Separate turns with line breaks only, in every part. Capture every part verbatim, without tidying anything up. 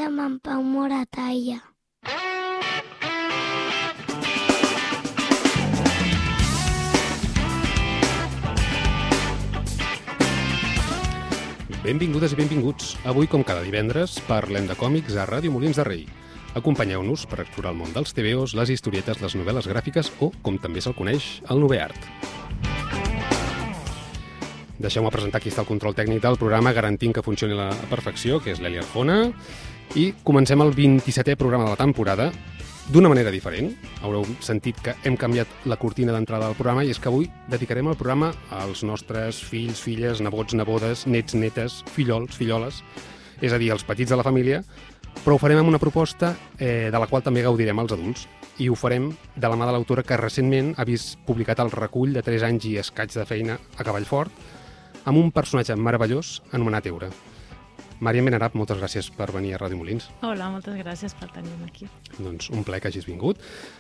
amb en Pau Moratalla.
Benvingudes i benvinguts. Avui, com cada divendres, parlem de còmics a Ràdio Molins de Rei. Acompanyeu-nos per explorar el món dels tebeos, les historietes, les novel·les gràfiques o, com també se'l coneix, el noveart. Deixeu-me presentar qui està al control tècnic del programa, garantint que funcioni a la perfecció, que és l'Eli Arjona. I comencem el vint-i-setè programa de la temporada d'una manera diferent. Haureu sentit que hem canviat la cortina d'entrada del programa i és que avui dedicarem el programa als nostres fills, filles, nebots, nebodes, nets, netes, fillols, filloles, és a dir, els petits de la família, però ho farem amb una proposta eh, de la qual també gaudirem els adults. I ho farem de la mà de l'autora que recentment ha vist publicat el recull de tres anys i escaig de feina a Cavallfort amb un personatge meravellós anomenat Eura. Màriam Benarab, moltes gràcies per venir a Ràdio Molins.
Hola, moltes gràcies per tenir-me aquí.
Doncs un plaer que hagis vingut.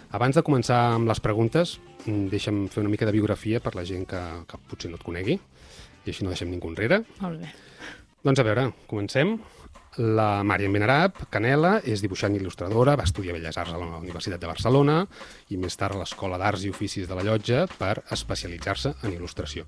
Abans de començar amb les preguntes, deixa'm fer una mica de biografia per la gent que, que potser no et conegui, i així no deixem ningú enrere.
Molt bé.
Doncs a veure, comencem. La Màriam Benarab Canela és dibuixant i il·lustradora, va estudiar Belles Arts a la Universitat de Barcelona i més tard a l'Escola d'Arts i Oficis de la Llotja per especialitzar-se en il·lustració.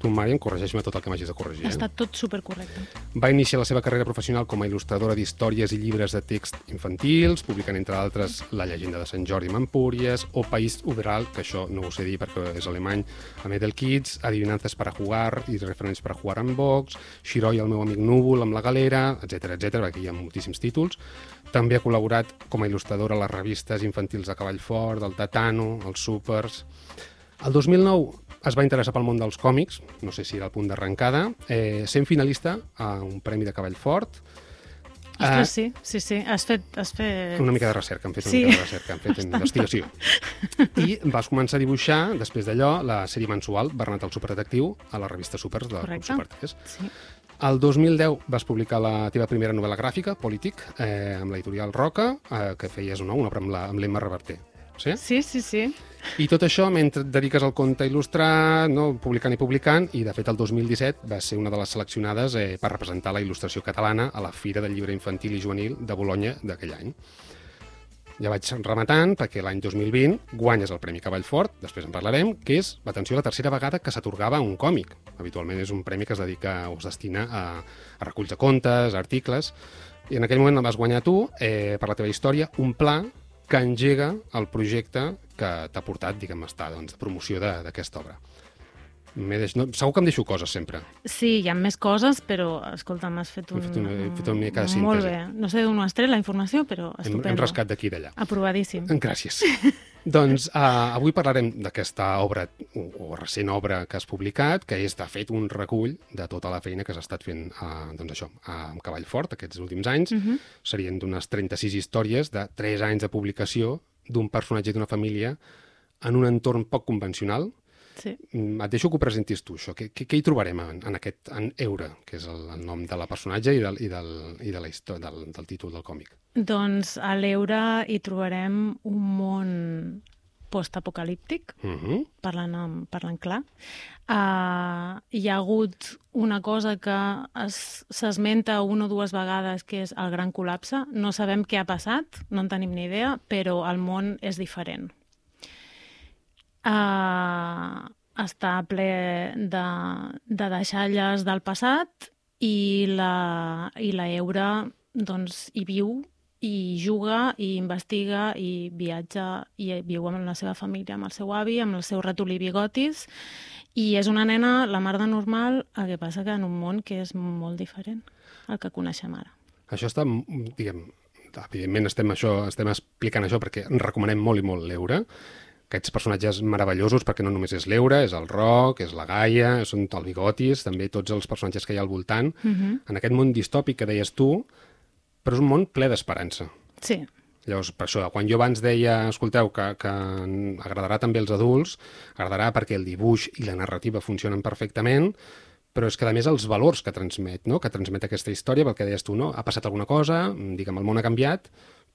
Tu, Màriam, corregeix-me tot el que m'hagis de corregir.
Ha estat tot supercorrecte.
Va iniciar la seva carrera professional com a il·lustradora d'històries i llibres de text infantils, publicant, entre altres, La llegenda de Sant Jordi amb Empúries o País Uberal, que això no ho sé dir perquè és alemany, amb Edelkids, Adivinances para jugar i Referents para jugar amb Vox, Xiroi, el meu amic núvol, amb La Galera, etcètera, etcètera, perquè hi ha moltíssims títols. També ha col·laborat com a il·lustradora a les revistes infantils de Cavallfort, del Tatano, els Súpers. El dos mil nou es va interessar pel món dels còmics, no sé si era el punt d'arrencada, eh, sent finalista a un premi de Cavallfort.
Ostres, sí, sí, sí, has fet... Has fet...
Una mica de recerca, hem fet una
sí.
mica de recerca, hem fet investigació. I vas començar a dibuixar, després d'allò, la sèrie mensual Bernat el superdetectiu a la revista Súpers de Club Super tres.
Sí.
El dos mil deu vas publicar la teva primera novel·la gràfica, Polític, eh, amb l'editorial Roca, eh, que feies no, una obra amb, la, amb l'Emma Reverter. Sí?
Sí, sí, sí.
I tot això mentre et dediques al conte il·lustrat, no? publicant i publicant, i de fet el dos mil disset va ser una de les seleccionades eh, per representar la il·lustració catalana a la Fira del Llibre Infantil i Juvenil de Bolonya d'aquell any. Ja vaig rematant perquè l'any dos mil vint guanyes el Premi Cavallfort, després en parlarem, que és, atenció, la tercera vegada que s'atorgava un còmic. Habitualment és un premi que es dedica o es destina a, a reculls de contes, a articles, i en aquell moment el vas guanyar tu eh, per la teva història, un pla que engega el projecte que t'ha portat, diguem, a estar doncs, de promoció d'aquesta obra. Deix... No, segur que em deixo coses, sempre.
Sí, hi ha més coses, però, escolta, m'has fet un...
He fet una, he fet una mica de síntesi.
Molt bé. No sé d'on ho has tret, la informació, però estupendo.
Hem, hem rascat d'aquí i d'allà.
Aprovadíssim.
Gràcies. Doncs uh, avui parlarem d'aquesta obra, o, o recent obra que has publicat, que és, de fet, un recull de tota la feina que s'ha estat fent uh, doncs això, a Cavallfort aquests últims anys. Uh-huh. Serien d'unes trenta-sis històries de tres anys de publicació d'un personatge d'una família en un entorn poc convencional.
Sí.
Et deixo que ho presentis tu, això. Què, què, què hi trobarem en, en aquest en Eura, que és el, el nom de la personatge i, del, i, del, i de la història, del, del títol del còmic?
Doncs a l'Eura hi trobarem un món postapocalíptic, uh-huh. parlant, parlant clar. Uh, hi ha hagut una cosa que s'esmenta una o dues vegades, que és el gran col·lapse. No sabem què ha passat, no en tenim ni idea, però el món és diferent. Uh, està ple de, de deixalles del passat i la, i la Eura doncs, hi viu, i juga, i investiga, i viatja, i viu amb la seva família, amb el seu avi, amb el seu ratolí bigotis, i és una nena, la mar de normal, el que passa que en un món que és molt diferent al que coneixem ara.
Això està, diguem, evidentment estem, això, estem explicant això perquè recomanem molt i molt l'Eura, aquests personatges meravellosos, perquè no només és l'Eura, és el Roc, és la Gaia, són el Bigotis, també tots els personatges que hi ha al voltant, uh-huh. en aquest món distòpic que deies tu, però és un món ple d'esperança.
Sí.
Llavors, per això, quan jo abans deia, escolteu, que, que agradarà també als adults, agradarà perquè el dibuix i la narrativa funcionen perfectament, però és que, a més, els valors que transmet, no? que transmet aquesta història, pel que deies tu, no? Ha passat alguna cosa, diguem, el món ha canviat,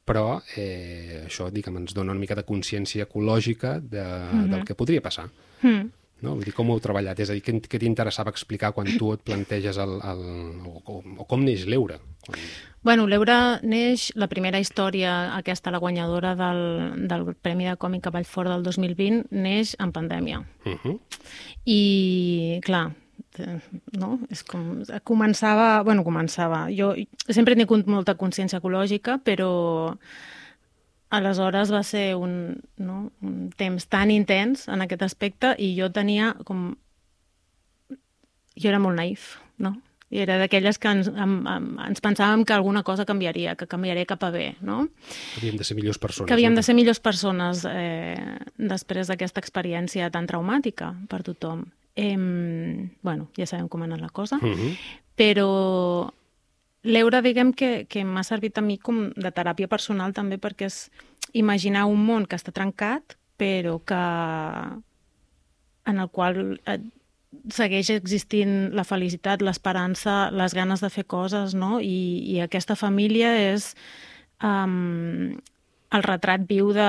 però eh, això, diguem, ens dona una mica de consciència ecològica de, mm-hmm. del que podria passar.
Mm.
No? Vull dir, com ho heu treballat? És a dir, què, què t'interessava explicar quan tu et planteges el... el o, o, o com neix l'Eure? Quan...
Bueno, l'Eure neix, la primera història, aquesta, la guanyadora del, del Premi de Còmic Cavall Fort del dos mil vint, neix en pandèmia.
Uh -huh.
I, clar, no? És com... Començava... Bueno, començava... Jo sempre he tingut molta consciència ecològica, però aleshores va ser un, no? un temps tan intens en aquest aspecte i jo tenia com... Jo era molt naïf, no? I era d'aquelles que ens, em, em, ens pensàvem que alguna cosa canviaria, que canviaria cap a bé, no?
Que havíem de ser millors persones.
Que havíem
no?
de ser millors persones eh, després d'aquesta experiència tan traumàtica per tothom. Eh, bueno, ja sabem com ha anat la cosa,
Uh -huh.
però l'Eure, diguem que, que m'ha servit a mi com de teràpia personal també, perquè és imaginar un món que està trencat, però que en el qual eh, segueix existint la felicitat, l'esperança, les ganes de fer coses, no? I, i aquesta família és um, el retrat viu de...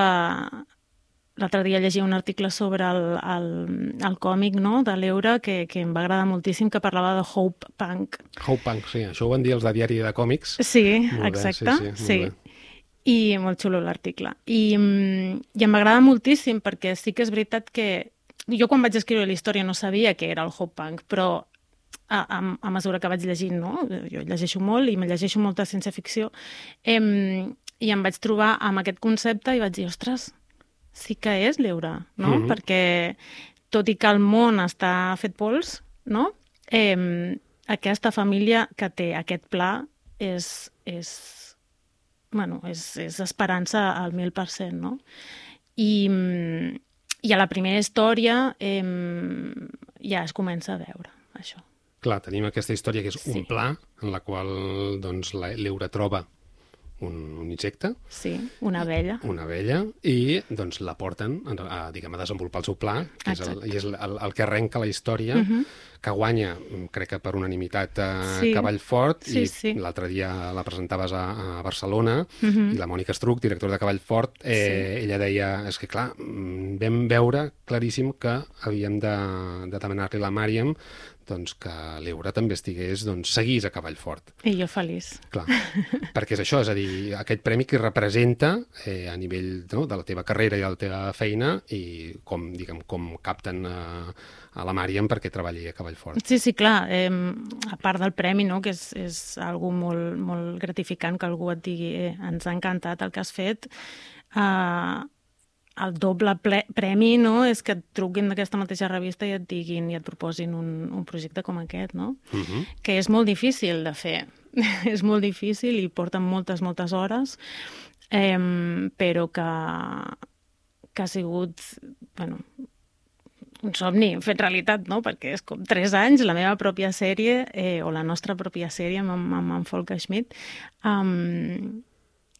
L'altre dia llegia un article sobre el, el, el còmic, no?, de l'Eure, que, que em va agradar moltíssim, que parlava de Hope Punk.
Hope Punk, sí. Això ho van dir els de Diari de Còmics.
Sí,
molt
exacte.
Bé, sí, sí,
sí.
molt bé.
I molt xulo l'article. I, i em va agradar moltíssim, perquè sí que és veritat que jo quan vaig escriure la història no sabia què era el Hope Punk, però a, a, a mesura que vaig llegint, no? Jo llegeixo molt i me llegeixo molta ciència-ficció, em, i em vaig trobar amb aquest concepte i vaig dir, ostres, sí que és l'Eure, no?
Mm-hmm.
Perquè tot i que el món està fet pols, no? Eh, aquesta família que té aquest pla és, és, bueno, és, és esperança al mil per cent, no? I, i a la primera història eh, ja es comença a veure això.
Clar, tenim aquesta història que és
Sí.
un pla en la qual doncs, la- l'Eure troba un, un insecte,
Sí, una abella.
una abella, i doncs la porten a, a, diguem, a desenvolupar el seu pla, que és el,
Exacte.
i és el, el que arrenca la història,
Mhm.
que guanya, crec que per unanimitat, a
Sí.
Cavall Fort,
Sí,
i
sí.
l'altre dia la presentaves a, a Barcelona,
Mhm.
i la Mònica Estruc, directora de Cavall Fort, eh, ella deia, és que clar, mm, vam veure claríssim que havíem de, de demanar-li a la Màriam doncs, que l'Eure també estigués, doncs, seguís a Cavall Fort.
I jo feliç.
Clar, perquè és això, és a dir, aquest premi que representa eh, a nivell, no, de la teva carrera i de la teva feina i com, diguem, com capten a, a la Màriam perquè treballi a Cavall Fort.
Sí, sí, clar. Eh, a part del premi, no?, que és, és algo molt, molt gratificant que algú et digui eh, ens ha encantat el que has fet, eh, el doble ple premi, no?, és que et truquin d'aquesta mateixa revista i et diguin i et proposin un, un projecte com aquest, no?
Uh -huh.
Que és molt difícil de fer. És molt difícil i porten moltes, moltes hores, eh, però que, que ha sigut, bueno, un somni fet realitat, no? Perquè és com tres anys, la meva pròpia sèrie, eh, o la nostra pròpia sèrie amb, amb, amb Folke Schmidt, amb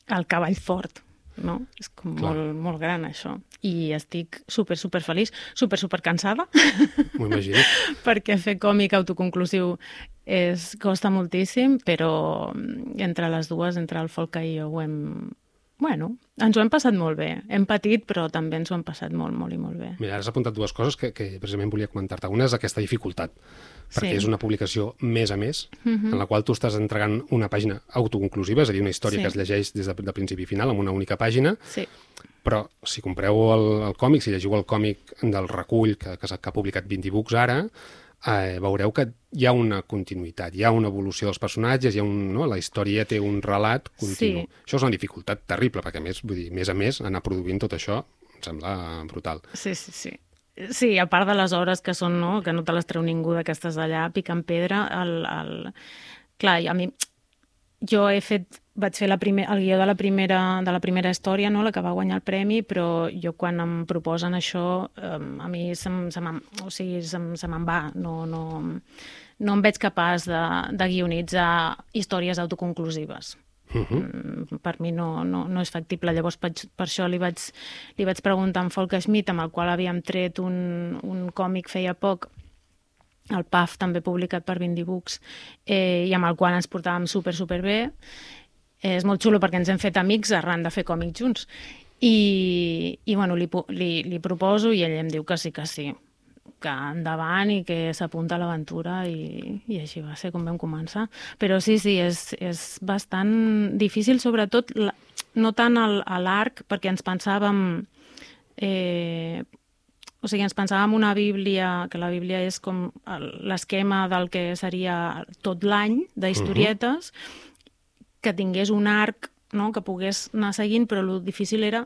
el Cavall Fort, no? És com
Clar.
molt, molt gran, això. I estic super, super feliç, super, super cansada,
M'ho imagino.
perquè fer còmic autoconclusiu és, costa moltíssim, però entre les dues, entre el Folke i jo, ho hem... Bueno, ens ho hem passat molt bé. Hem patit, però també ens ho hem passat molt, molt i molt bé.
Mira, ara has apuntat dues coses que, que precisament volia comentar-te. Una és aquesta dificultat, perquè
Sí.
és una publicació més a més,
Mhm.
en la qual tu estàs entregant una pàgina autoconclusiva, és a dir, una història
Sí.
que es llegeix des de, de principi a final, amb una única pàgina,
Sí.
però si compreu el, el còmic, si llegiu el còmic del recull que, que, s'ha- que ha publicat vint books ara, eh, veureu que hi ha una continuïtat, hi ha una evolució dels personatges, hi ha un, no? La història té un relat continu.
Sí.
Això és una dificultat terrible, perquè a més, vull dir, més a més, anar produint tot això em sembla brutal.
Sí, sí, sí. Sí, a part de les hores que són, no?, que no te les treu ningú de que estàs allà picant pedra, el, el... clar, a mi, jo he fet, vaig fer la primer, el guió de la, primera, de la primera història, no?, la que va guanyar el premi, però jo quan em proposen això, eh, a mi se, m- se me'n, o sigui, se, m- se me'n va, no, no, no em veig capaç de, de guionitzar històries autoconclusives.
Uh -huh.
Mm, per mi no, no, no és factible. Llavors, per, per això li vaig, li vaig preguntar a en Folke Schmidt, amb el qual havíem tret un, un còmic feia poc, el P A F, també publicat per vint books, eh, i amb el qual ens portàvem super, super bé. Eh, és molt xulo perquè ens hem fet amics arran de fer còmics junts. I, i bueno, li, pu- li, li proposo i ell em diu que sí, que sí, que endavant i que s'apunta a l'aventura i, i així va ser com vam començar. Però sí, sí, és, és bastant difícil, sobretot la, no tant el, a l'arc, perquè ens pensàvem... Eh, o sigui, ens pensàvem una Bíblia, que la Bíblia és com l'esquema del que seria tot l'any d'historietes, uh-huh. que tingués un arc, no?, que pogués anar seguint, però el difícil era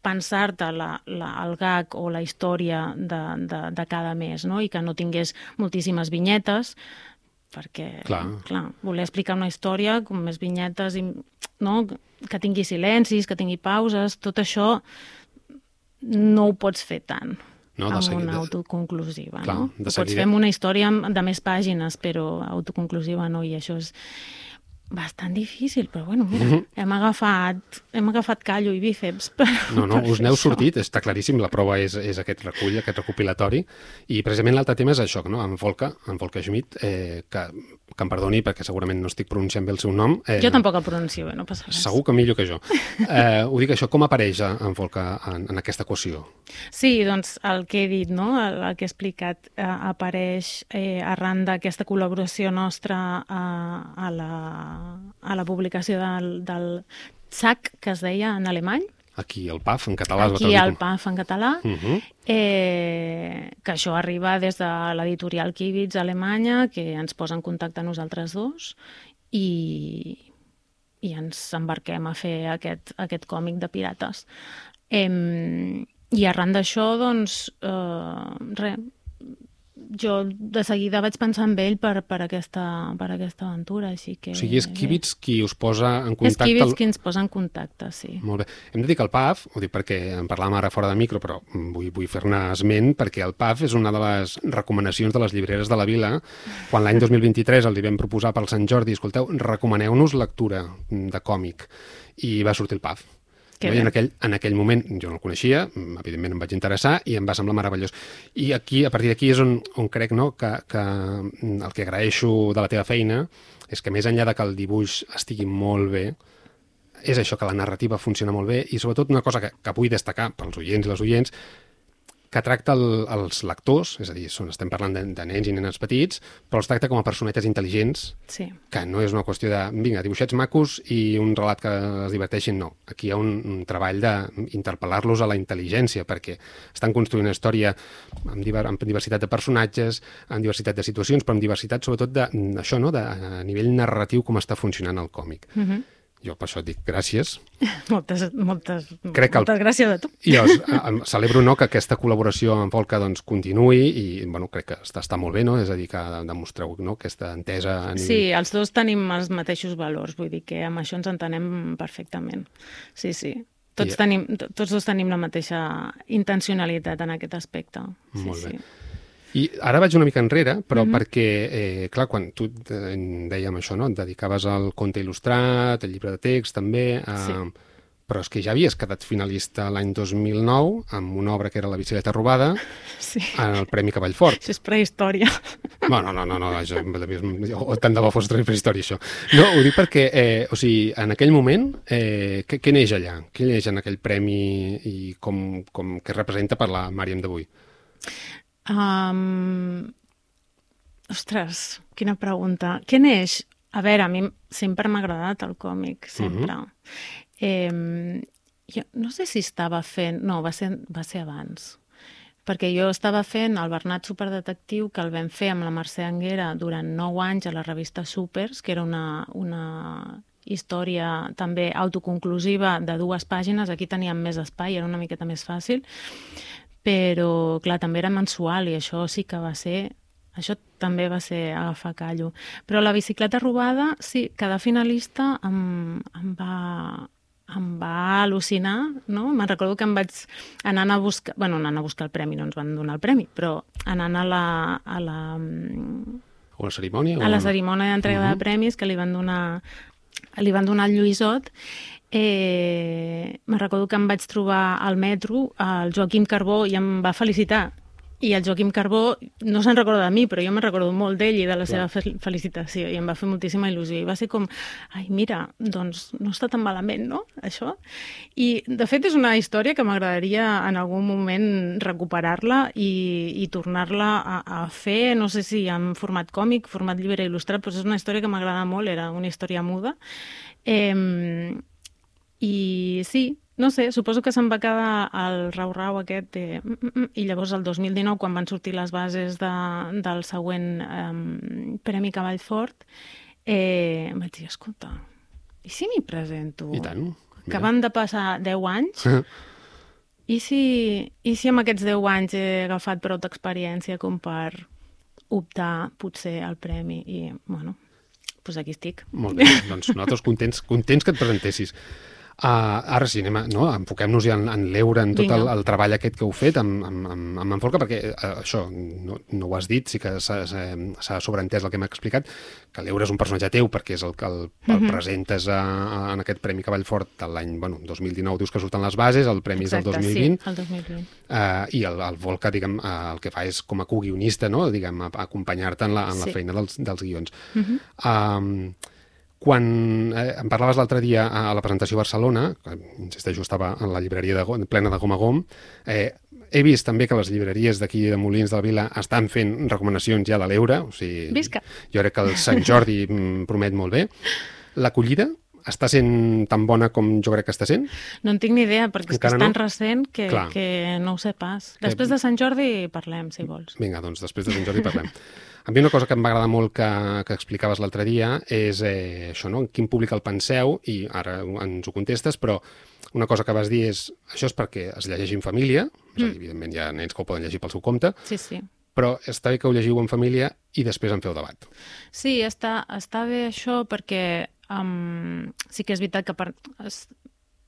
pensar-te la, la, el gag o la història de, de, de cada mes, no?, i que no tingués moltíssimes vinyetes, perquè, clar, clar voler explicar una història com més vinyetes, i, no?, que tingui silencis, que tingui pauses, tot això no ho pots fer tant no, amb seguida, una autoconclusiva. Clar, no? Ho pots fer amb una història de més pàgines, però autoconclusiva no, i això és bastant difícil, però bueno, mira, mm-hmm. hem agafat hem agafat callo i bíceps per,
no, no,
per
us n'heu sortit, està claríssim, la prova és, és aquest recull, aquest recopilatori, i precisament l'altre tema és això, no? En Volker, en Volker Schmidt, eh, que, que em perdoni perquè segurament no estic pronunciant bé el seu nom. Eh,
jo tampoc el pronuncio bé, no passa res.
Segur que millor que jo. Eh, ho dic això, com apareix en Volker en, en aquesta equació?
Sí, doncs el que he dit, no? el, el que he explicat, eh, apareix eh, arran d'aquesta col·laboració nostra a, a la a la publicació del, del Zack, que es deia en alemany.
Aquí, el P A F, en català.
Aquí, el P A F, en català.
Uh-huh.
eh, que això arriba des de l'editorial Kivitz, Alemanya, que ens posa en contacte a nosaltres dos i, i ens embarquem a fer aquest, aquest còmic de pirates. Eh, I arran d'això, doncs, eh, res, jo de seguida vaig pensar en ell per, per, aquesta, per aquesta aventura, així que...
O sigui, és Kivitz qui us posa en contacte...
És Kivitz qui ens posa en contacte, sí.
Molt bé. Hem de dir que el P A F, ho dic perquè en parlàvem ara fora de micro, però vull, vull fer-ne esment, perquè el P A F és una de les recomanacions de les llibreres de la Vila. Quan l'any dos mil vint-i-tres els hi vam proposar pel Sant Jordi, escolteu, recomaneu-nos lectura de còmic, i va sortir el P A F. No? I en aquell, en aquell moment jo no el coneixia, evidentment em vaig interessar i em va semblar meravellós. I aquí, a partir d'aquí és on, on crec, no?, que, que el que agraeixo de la teva feina és que més enllà de que el dibuix estigui molt bé, és això, que la narrativa funciona molt bé i sobretot una cosa que, que vull destacar pels oients i les oients, que tracta el, els lectors, és a dir, són, estem parlant de, de nens i nenes petits, però els tracta com a personetes intel·ligents,
sí.
que no és una qüestió de, vinga, dibuixets macos i un relat que es diverteixin, no. Aquí hi ha un, un treball d'interpel·lar-los a la intel·ligència, perquè estan construint una història amb, diver, amb diversitat de personatges, amb diversitat de situacions, però amb diversitat sobretot d'això, no?, de, a nivell narratiu, com està funcionant el còmic. Mhm. Mm Jo per això et dic gràcies.
Moltes, moltes,
Crec que el...
moltes gràcies a tu.
I jo celebro, no, que aquesta col·laboració amb Volker doncs, continuï i bueno, crec que està, està molt bé, no? És a dir, que demostreu, no?, aquesta entesa. A nivell...
Sí, els dos tenim els mateixos valors, vull dir que amb això ens entenem perfectament. Sí, sí. Tots, I... tenim, tots dos tenim la mateixa intencionalitat en aquest aspecte. Sí,
molt bé.
Sí.
I ara vaig una mica enrere, però mm-hmm. perquè, eh, clar, quan tu dèiem això, no?, et dedicaves al conte il·lustrat, al llibre de text, també, a... sí. Però és que ja havies quedat finalista l'any dos mil nou amb una obra que era La bicicleta robada, sí. en el Premi Cavall Fort.
Això és prehistòria.
No, no, no, no, no això, tant de bo fos prehistòria, això. No, ho dic perquè, eh, o sigui, en aquell moment, eh, què, què neix allà? Què neix en aquell premi i com, com què representa per la Màriam d'avui?
Um, ostres, quina pregunta. Què neix? A veure, a mi sempre m'ha agradat el còmic, sempre. Uh-huh. eh, jo no sé si estava fent... No, va ser, va ser abans. Perquè jo estava fent el Bernat Superdetectiu, que el vam fer amb la Mercè Anguera durant nou anys a la revista Supers, que era una, una història també autoconclusiva de dues pàgines. Aquí teníem més espai, era una miqueta més fàcil. Però, clar, també era mensual i això sí que va ser... Això també va ser agafar callo. Però la bicicleta robada, sí, cada finalista em, em, va, em va al·lucinar, no? Me'n recordo que em vaig anar a buscar... Bueno, anant a buscar el premi, no ens van donar el premi, però anant a la... A la,
a la cerimònia?
A la cerimònia d'entrega uh-huh. de premis que li van donar, li van donar el Lluïsot. Eh, me'n recordo que em vaig trobar al metro el Joaquim Carbó i em va felicitar I el Joaquim Carbó no se'n recorda de mi, però jo me'n recordo molt d'ell i de la
Clar.
seva fe- felicitació, i em va fer moltíssima il·lusió. I va ser com, ai, mira, doncs no està tan malament, no?, això. I, de fet, és una història que m'agradaria en algun moment recuperar-la i, i tornar-la a, a fer, no sé si en format còmic, format llibre il·lustrat, però és una història que m'agrada molt, era una història muda. Eh, I sí, no sé, suposo que se'n va quedar el rau-rau aquest de... I llavors el dos mil dinou, quan van sortir les bases de, del següent um, Premi Cavall Fort, eh, vaig dir, escolta, i si m'hi presento?
I tant.
Que
Mira.
van de passar deu anys, i si, i si amb aquests deu anys he agafat prou d'experiència com per optar potser al premi? I, bueno, doncs aquí estic.
Molt bé, doncs nosaltres contents, contents que et presentessis. Uh, ara sí, anem a, no, enfoquem-nos ja en, en l'Eure, en tot el, el treball aquest que heu fet amb, amb, amb, amb en Forca, perquè uh, això, no, no ho has dit, sí que s'ha sobreentès el que m'ha explicat, que l'Eure és un personatge teu perquè és el que el, el
Mhm.
presentes a, a, en aquest Premi Cavall Fort de l'any, bueno, dos mil dinou, dius que surten les bases, el premi és del dos mil vint,
sí, el dos mil vint.
Uh, i el, el Volca, diguem, uh, el que fa és com a co-guionista, no?, diguem, a, a acompanyar-te en, la, en la
Sí.
feina dels, dels guions.
Mhm.
Um, quan eh, em parlaves l'altre dia a la presentació a Barcelona, que insisteixo, estava en la llibreria de, Go- plena de gom a gom, eh, he vist també que les llibreries d'aquí de Molins de la Vila estan fent recomanacions ja de l'Eure, o sigui,
Visca.
jo crec que el Sant Jordi mm, promet molt bé. L'acollida està sent tan bona com jo crec que està sent?
No en tinc ni idea, perquè és, que
Encara
és tan
no?
recent que,
Clar.
que no ho sé pas. Després de Sant Jordi parlem, si vols.
Vinga, doncs després de Sant Jordi parlem. A mi una cosa que em va agradar molt que, que explicaves l'altre dia és eh, això, no?, en quin públic el penseu, i ara ens ho contestes, però una cosa que vas dir és això és perquè es llegeixi en família, és a dir, evidentment hi ha nens que ho poden llegir pel seu compte,
Sí, sí.
però està bé que ho llegiu en família i després en feu debat.
Sí, està, està bé això perquè um, sí que és veritat que per, es,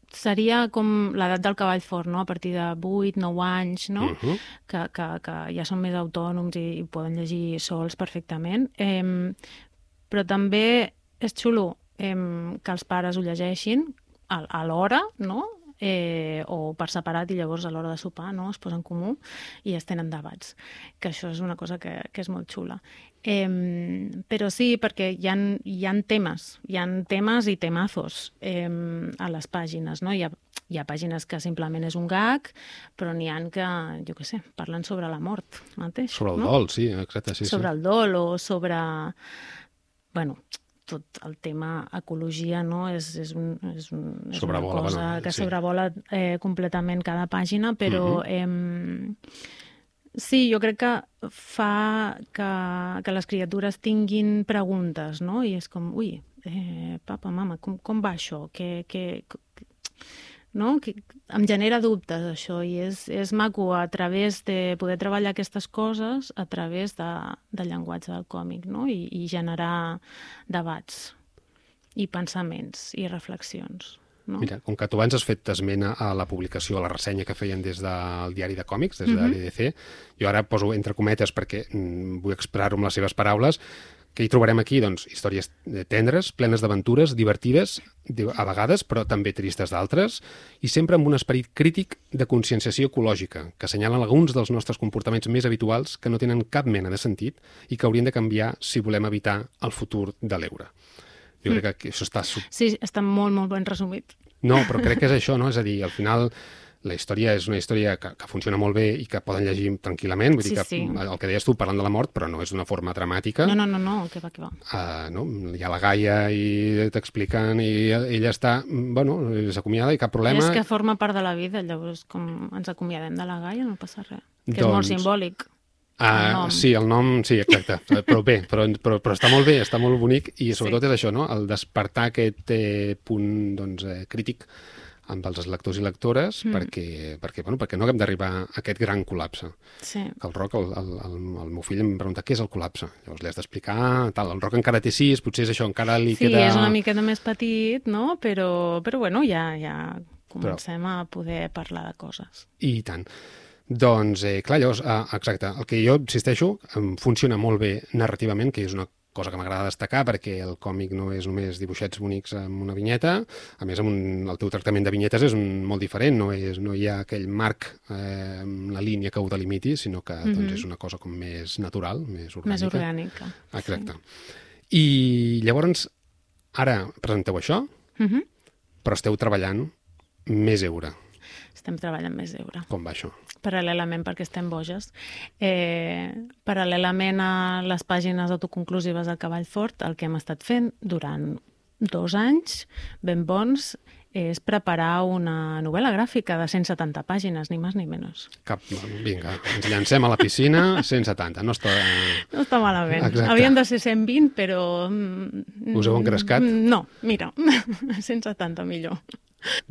seria com l'edat del cavall fort, no?, a partir de vuit, nou anys, no?,
Uh -huh.
que, que, que ja són més autònoms i, i poden llegir sols perfectament. Eh, però també és xulo eh, que els pares ho llegeixin a, a l'hora, no?, eh, o per separat, i llavors a l'hora de sopar, no?, es posen en comú i es tenen debats, que això és una cosa que, que és molt xula. Eh, però sí, perquè hi ha, hi ha temes, hi ha temes i temazos eh, a les pàgines, no? Hi ha, hi ha pàgines que simplement és un gag, però n'hi ha que, jo què sé, parlen sobre la mort mateix.
Sobre el
no?
dol, sí, exacte, sí,
sobre
sí.
el dol o sobre... Bueno, tot el tema ecologia, no?, és, és, un, és, un, és
Sobrevola,
una cosa
bueno,
que
sí.
sobrevola eh, completament cada pàgina, però
Mhm.
eh, sí, jo crec que fa que, que les criatures tinguin preguntes, no?, i és com, ui, eh, papa, mama, com, com va això? Que, que, no? Que em genera dubtes, això, i és, és maco a través de poder treballar aquestes coses a través de, del llenguatge del còmic, no?, I, i generar debats i pensaments i reflexions. No?
Mira, com que tu abans has fet esment a la publicació, a la ressenya que feien des del diari de còmics, des de
Mhm.
l'E D C, jo ara poso entre cometes perquè mm, vull expressar-ho amb les seves paraules, que hi trobarem aquí, doncs, històries tendres, plenes d'aventures, divertides, a vegades, però també tristes d'altres, i sempre amb un esperit crític de conscienciació ecològica, que assenyalen alguns dels nostres comportaments més habituals que no tenen cap mena de sentit i que haurien de canviar si volem evitar el futur de l'Eure. Jo crec que això està... sub-
Sí, està molt, molt ben resumit.
No, però crec que és això, no? És a dir, al final la història és una història que, que funciona molt bé i que poden llegir tranquil·lament, vull
Sí,
dir que
sí.
el que deies tu, parlant de la mort, però no és d'una forma dramàtica.
No, no, no, no, que va, que va.
Uh, no? Hi ha la Gaia i t'expliquen i ella està, bueno, s'acomiada i cap problema.
És que forma part de la vida, llavors com ens acomiadem de la Gaia no passa res. Que és molt
Doncs-
simbòlic.
Uh,
el nom.
sí, el nom, sí, exacte, però bé, però, però, però està molt bé, està molt bonic i sobretot
Sí.
és això, no? El despertar aquest eh, punt doncs, eh, crític amb els lectors i lectores
Mm.
perquè, perquè, bueno, perquè no haguem d'arribar a aquest gran col·lapse.
Sí.
Que el Roc, el, el, el, el meu fill em pregunta què és el col·lapse. Llavors li has d'explicar, tal, el Roc encara té sis, potser és això, encara li
Sí,
queda...
és una miqueta més petit, no? Però, però bueno, ja, ja comencem a poder parlar de coses.
I tant. Doncs, eh, clar, llavors, eh, exacte, el que jo insisteixo, em funciona molt bé narrativament, que és una cosa que m'agrada destacar perquè el còmic no és només dibuixets bonics amb una vinyeta, a més amb un, el teu tractament de vinyetes és un, molt diferent, no, és, no hi ha aquell marc, eh, la línia que ho delimiti, sinó que mm-hmm. doncs, és una cosa com més natural, més orgànica.
Més orgànica.
Exacte. Sí. I llavors, ara presenteu això, mm-hmm. però esteu treballant més Eura.
Estem treballant més Eura.
Com va això?
Paral·lelament, perquè estem boges. Eh, paral·lelament a les pàgines autoconclusives del Cavall Fort, el que hem estat fent durant dos anys, ben bons, és preparar una novel·la gràfica de cent setanta pàgines, ni més ni menys.
Cap, vinga, ens llancem a la piscina, cent setanta, no està...
No està malament.
Exacte.
Havien de ser cent vint, però...
Us heu engrescat?
No, mira, cent setanta millor.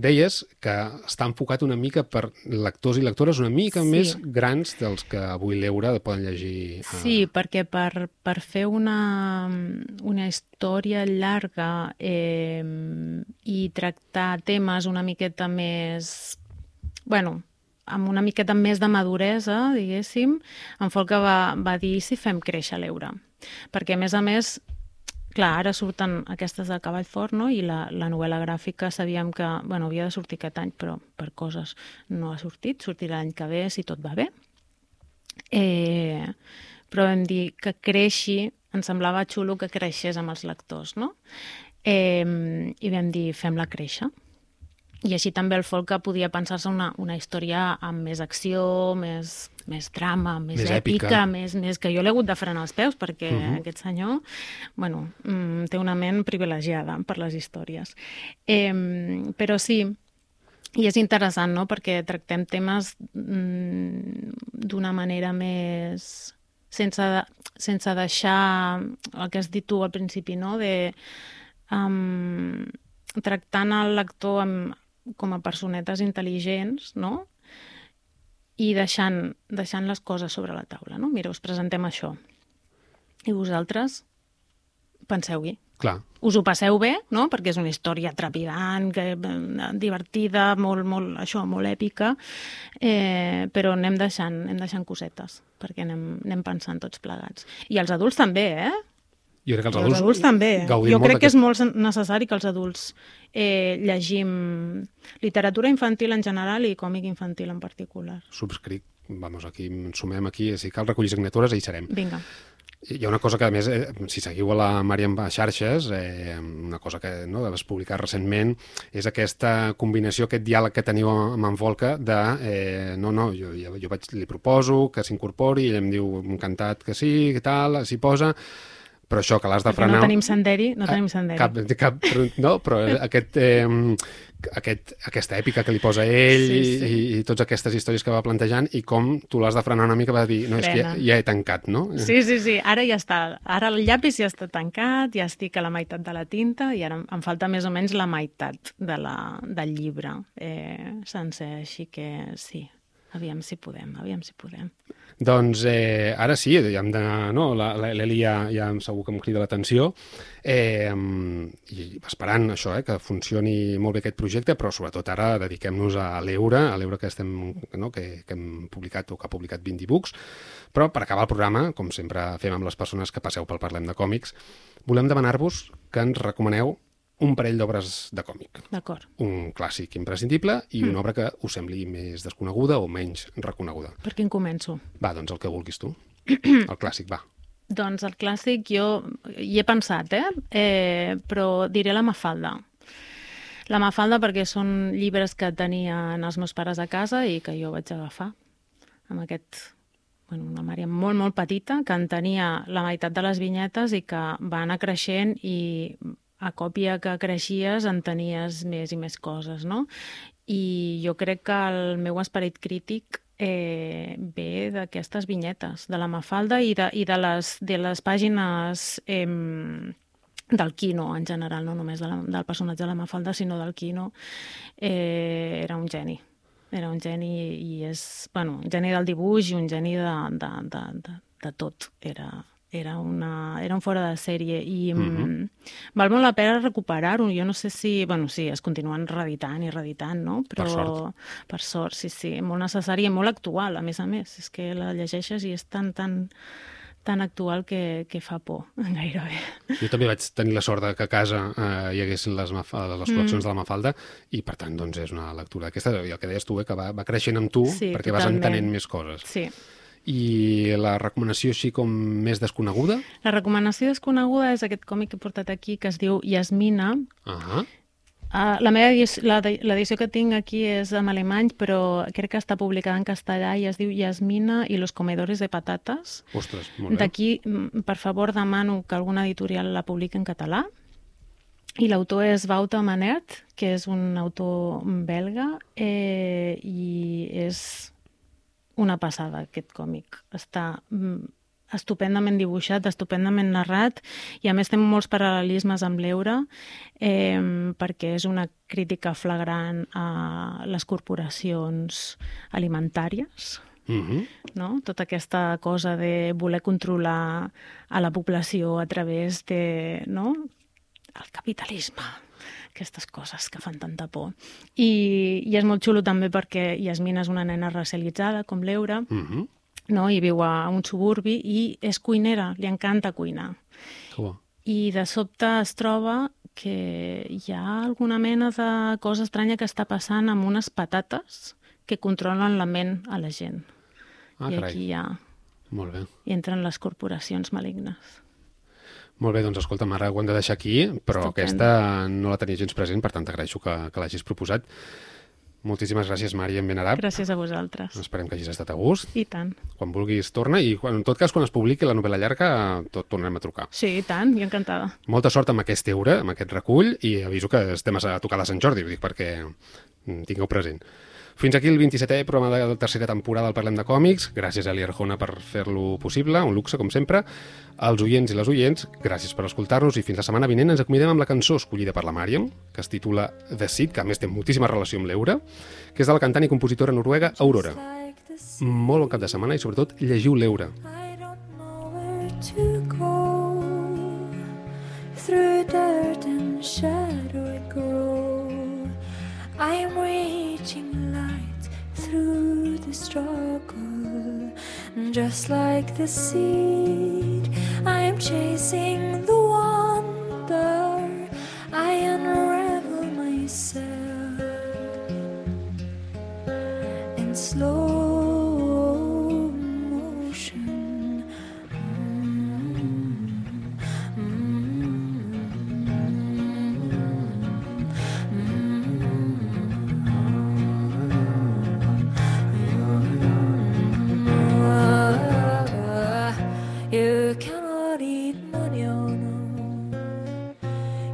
Deies que està enfocat una mica per lectors i lectores una mica sí. més grans dels que avui l'Eura poden llegir. A...
Sí, perquè per, per fer una, una història llarga eh, i tractar temes una miqueta més... Bueno, amb una miqueta més de maduresa, diguéssim, en Folca va, va dir si fem créixer l'Eura. Perquè, a més a més, clar, ara surten aquestes del Cavall Fort, no? I la, la novel·la gràfica sabíem que bueno, havia de sortir aquest any, però per coses no ha sortit, sortirà l'any que ve si tot va bé. Eh, però vam dir que creixi, ens semblava xulo que creixés amb els lectors, no? Eh, I vam dir, fem-la créixer. I així també el Folca podia pensar-se una, una història amb més acció, més, més drama, més, més èpica, èpica. Més, més que jo l'he hagut de frenar els peus perquè uh-huh. aquest senyor bueno, mm, té una ment privilegiada per les històries. Eh, però sí, i és interessant, no?, perquè tractem temes mm, d'una manera més... sense, de, sense deixar el que has dit tu al principi, no?, de... Um, tractant el lector amb, com a personetes intel·ligents, no?, i deixant, deixant les coses sobre la taula, no? Mira, us presentem això. I vosaltres penseu-hi.
Clar.
Us ho passeu bé, no?, perquè és una història trepidant, que, divertida, molt, molt, això, molt èpica, eh, però anem deixant, anem deixant cosetes, perquè anem, anem pensant tots plegats. I els adults també, eh?
Jo crec que els
adults,
adults,
adults també. Jo crec que és molt necessari que els adults eh, llegim literatura infantil en general i còmic infantil en particular.
Subscric. Vamos, aquí ens sumem aquí. Si cal recollir signatures, hi serem.
Vinga.
Hi ha una cosa que, a més, eh, si seguiu a la Màriam a xarxes, eh, una cosa que no, vas publicar recentment, és aquesta combinació, aquest diàleg que teniu amb en Folca de, eh, no, no, jo, jo vaig, li proposo que s'incorpori, i ell em diu encantat que sí, que tal, s'hi posa... Però això, que l'has de frenar...
No tenim senderi, no tenim senderi.
Cap, cap, no, però aquest, eh, aquest, aquesta èpica que li posa ell sí, sí. I, i totes aquestes històries que va plantejant i com tu l'has de frenar una mica, va dir, no, és que ja, ja he tancat, no?
Sí, sí, sí, ara ja està. Ara el llapis ja està tancat, ja estic a la meitat de la tinta i ara em falta més o menys la meitat de la, del llibre eh, sencer, així que sí. Aviam si podem, aviam si podem.
Doncs eh, ara sí, ja hem de, no, l'Eli ja, ja segur que em crida l'atenció, eh, i esperant això, eh, que funcioni molt bé aquest projecte, però sobretot ara dediquem-nos a l'Eura, a l'Eura que, estem, no, que, que hem publicat o que ha publicat vint e-books, però per acabar el programa, com sempre fem amb les persones que passeu pel Parlem de Còmics, volem demanar-vos que ens recomaneu un parell d'obres de còmic.
D'acord.
Un clàssic imprescindible i mm. una obra que us sembli més desconeguda o menys reconeguda.
Per quin començo?
Va, doncs el que vulguis tu. El clàssic, va.
Doncs el clàssic jo hi he pensat, eh? eh però diré la Mafalda. La Mafalda perquè són llibres que tenien els meus pares a casa i que jo vaig agafar amb aquest... Bueno, una Màriam molt, molt petita, que en tenia la meitat de les vinyetes i que va anar creixent i... a còpia que creixies en tenies més i més coses, no? I jo crec que el meu esperit crític eh, ve d'aquestes vinyetes, de la Mafalda i de, i de, les, de les pàgines eh, del Quino en general, no només de la, del personatge de la Mafalda, sinó del Quino. Eh, era un geni. Era un geni i és, bueno, un geni del dibuix i un geni de, de, de, de, de tot. Era... Era, una, era un fora de sèrie i mm-hmm. val molt la pena recuperar-ho. Jo no sé si... Bueno, sí, es continuen reeditant i reeditant, no? Però,
per sort.
Per sort, sí, sí. Molt necessari i molt actual, a més a més. És que la llegeixes i és tan, tan, tan actual que, que fa por, gairebé.
Jo també vaig tenir la sort de que a casa eh, hi haguessin les, les col·leccions mm. de la Mafalda i, per tant, doncs, és una lectura aquesta, i el que deies tu, eh, que va, va creixent amb tu
sí,
perquè
totalment.
vas entenent més coses.
Sí.
I la recomanació així com més desconeguda?
La recomanació desconeguda és aquest còmic que he portat aquí, que es diu Yasmina.
Ah uh-huh.
Uh, la meva edició, l'edició que tinc aquí és en alemany, però crec que està publicada en castellà i es diu Yasmina i los comedores de patates.
Ostres, molt bé.
D'aquí, per favor, demano que alguna editorial la publiqui en català. I l'autor és Wouter Manert, que és un autor belga, eh, i és una passada aquest còmic. Està estupendament dibuixat, estupendament narrat, i a més té molts paral·lelismes amb l'Eure, eh, perquè és una crítica flagrant a les corporacions alimentàries,
mm-hmm.
no? Tota aquesta cosa de voler controlar a la població a través de, no? el capitalisme, aquestes coses que fan tanta por. I, i és molt xulo també perquè Yasmina és una nena racialitzada, com l'Eure,
Mm-hmm.
no? I viu a un suburbi i és cuinera, li encanta cuinar.
Oh.
I de sobte es troba que hi ha alguna mena de cosa estranya que està passant amb unes patates que controlen la ment a la gent.
Ah,
I
carai.
aquí ja
Molt bé.
hi entren les corporacions malignes.
Molt bé, doncs escolta'm, ara ho hem de deixar aquí, però
Estupendo.
aquesta no la tenia gens present, per tant t'agraeixo que, que l'hagis proposat. Moltíssimes gràcies, Màriam Benarab.
Gràcies a vosaltres.
Esperem que hagis estat a gust.
I tant.
Quan vulguis torna i quan, en tot cas quan es publiqui la novel·la llarga tot tornarem a trucar.
Sí, i tant, jo encantada.
Molta sort amb aquest Eure, amb aquest recull, i aviso que estem a tocar de Sant Jordi, ho dic perquè tingueu present. Fins aquí el vint-i-setè programa de la tercera temporada del Parlem de Còmics. Gràcies a Eli Arjona per fer-lo possible, un luxe, com sempre. Als oients i les oients, gràcies per escoltar-nos i fins la setmana vinent ens acomiadem amb la cançó escollida per la Màriam, que es titula The Seed, que a més té moltíssima relació amb l'Eure, que és de la cantant i compositora noruega Aurora. Molt bon cap de setmana i, sobretot, llegiu l'Eure.
I don't know where to go. Through dirt and shadow it grows. I'm reaching light through the struggle. Just like the seed, I'm chasing the wonder. I unravel myself in slow motion. You cannot eat money, oh no.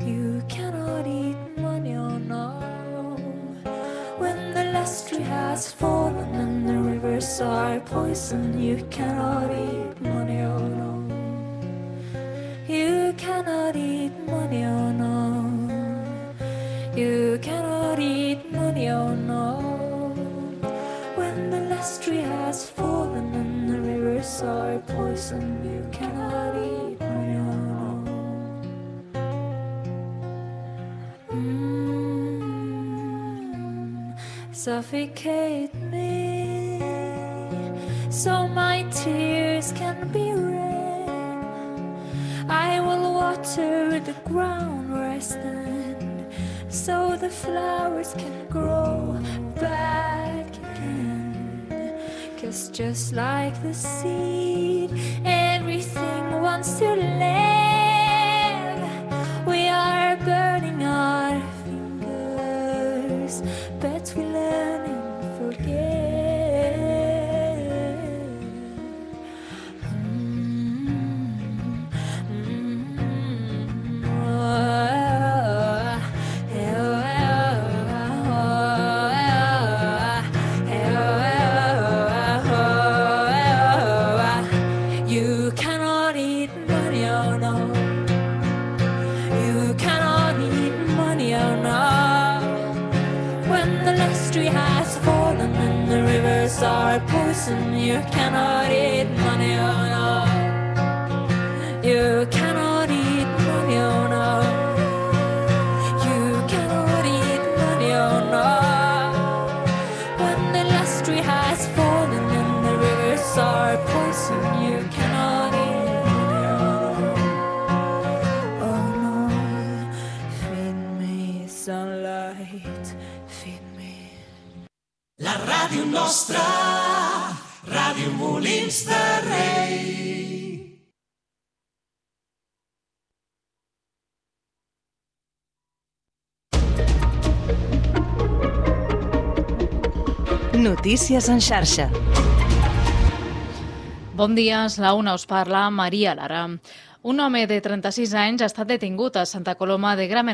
You cannot eat money, oh no. When the last tree has fallen and the rivers are poison, you cannot eat money, oh no. You cannot eat money, oh no. You cannot eat money, oh no. When the last tree has fallen and the rivers are poison, you cannot eat money, oh no. Mm, suffocate me so my tears can be rain. I will water the ground where I stand so the flowers can grow back again. 'Cause just like the seed, everything wants to live. We are burning our fingers, but we learn and forget. You cannot eat money, oh no. You cannot eat money, oh no. When the last tree has fallen and the rivers are poison, you cannot eat money, oh no. You cannot eat money, oh no. You cannot eat money, oh no. When the last tree has fallen and the rivers are poison, you cannot eat sunlight, feed me.
La ràdio nostra, Ràdio Molins de Rei.
Notícies en xarxa.
Bon dia, és la una, us parla Maria Lara. Un home de trenta-sis anys ha estat detingut a Santa Coloma de Gramenet